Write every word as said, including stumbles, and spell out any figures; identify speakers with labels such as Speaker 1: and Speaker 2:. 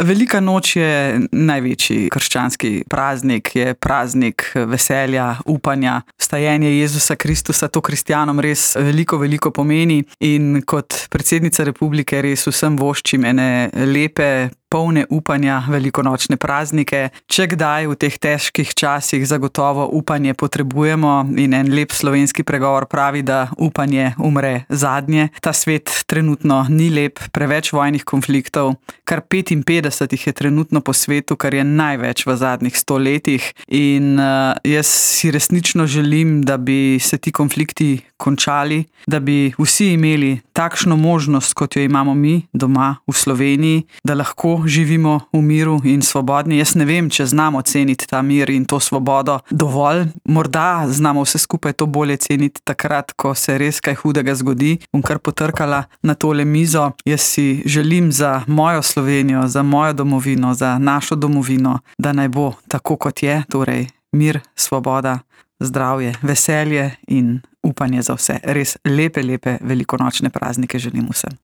Speaker 1: Velika noč je največji krščanski praznik, je praznik veselja, upanja, vstajenje Jezusa Kristusa. To kristjanom res veliko, veliko pomeni in kot predsednica republike res vsem voščim ene lepe, polne upanja velikonočne praznike. Če kdaj v teh težkih časih zagotovo upanje potrebujemo in en lep slovenski pregovor pravi, da upanje umre zadnje. Ta svet trenutno ni lep, preveč vojnih konfliktov, kar petinpetdeset jih je trenutno po svetu, kar je največ v zadnjih sto letih in uh, jaz si resnično želim, da bi se ti konflikti končali, da bi vsi imeli takšno možnost, kot jo imamo mi doma v Sloveniji, da lahko živimo v miru in svobodni. Jaz ne vem, če znamo ceniti ta mir in to svobodo dovolj. Morda znamo vse skupaj to bolje ceniti takrat, ko se res kaj hudega zgodi. Bom kar potrkala na tole mizo. Jaz si želim za mojo Slovenijo, za mojo domovino, za našo domovino, da naj bo tako, kot je, torej mir, svoboda, zdravje, veselje in upanje za vse. Res lepe, lepe velikonočne praznike želim vsem.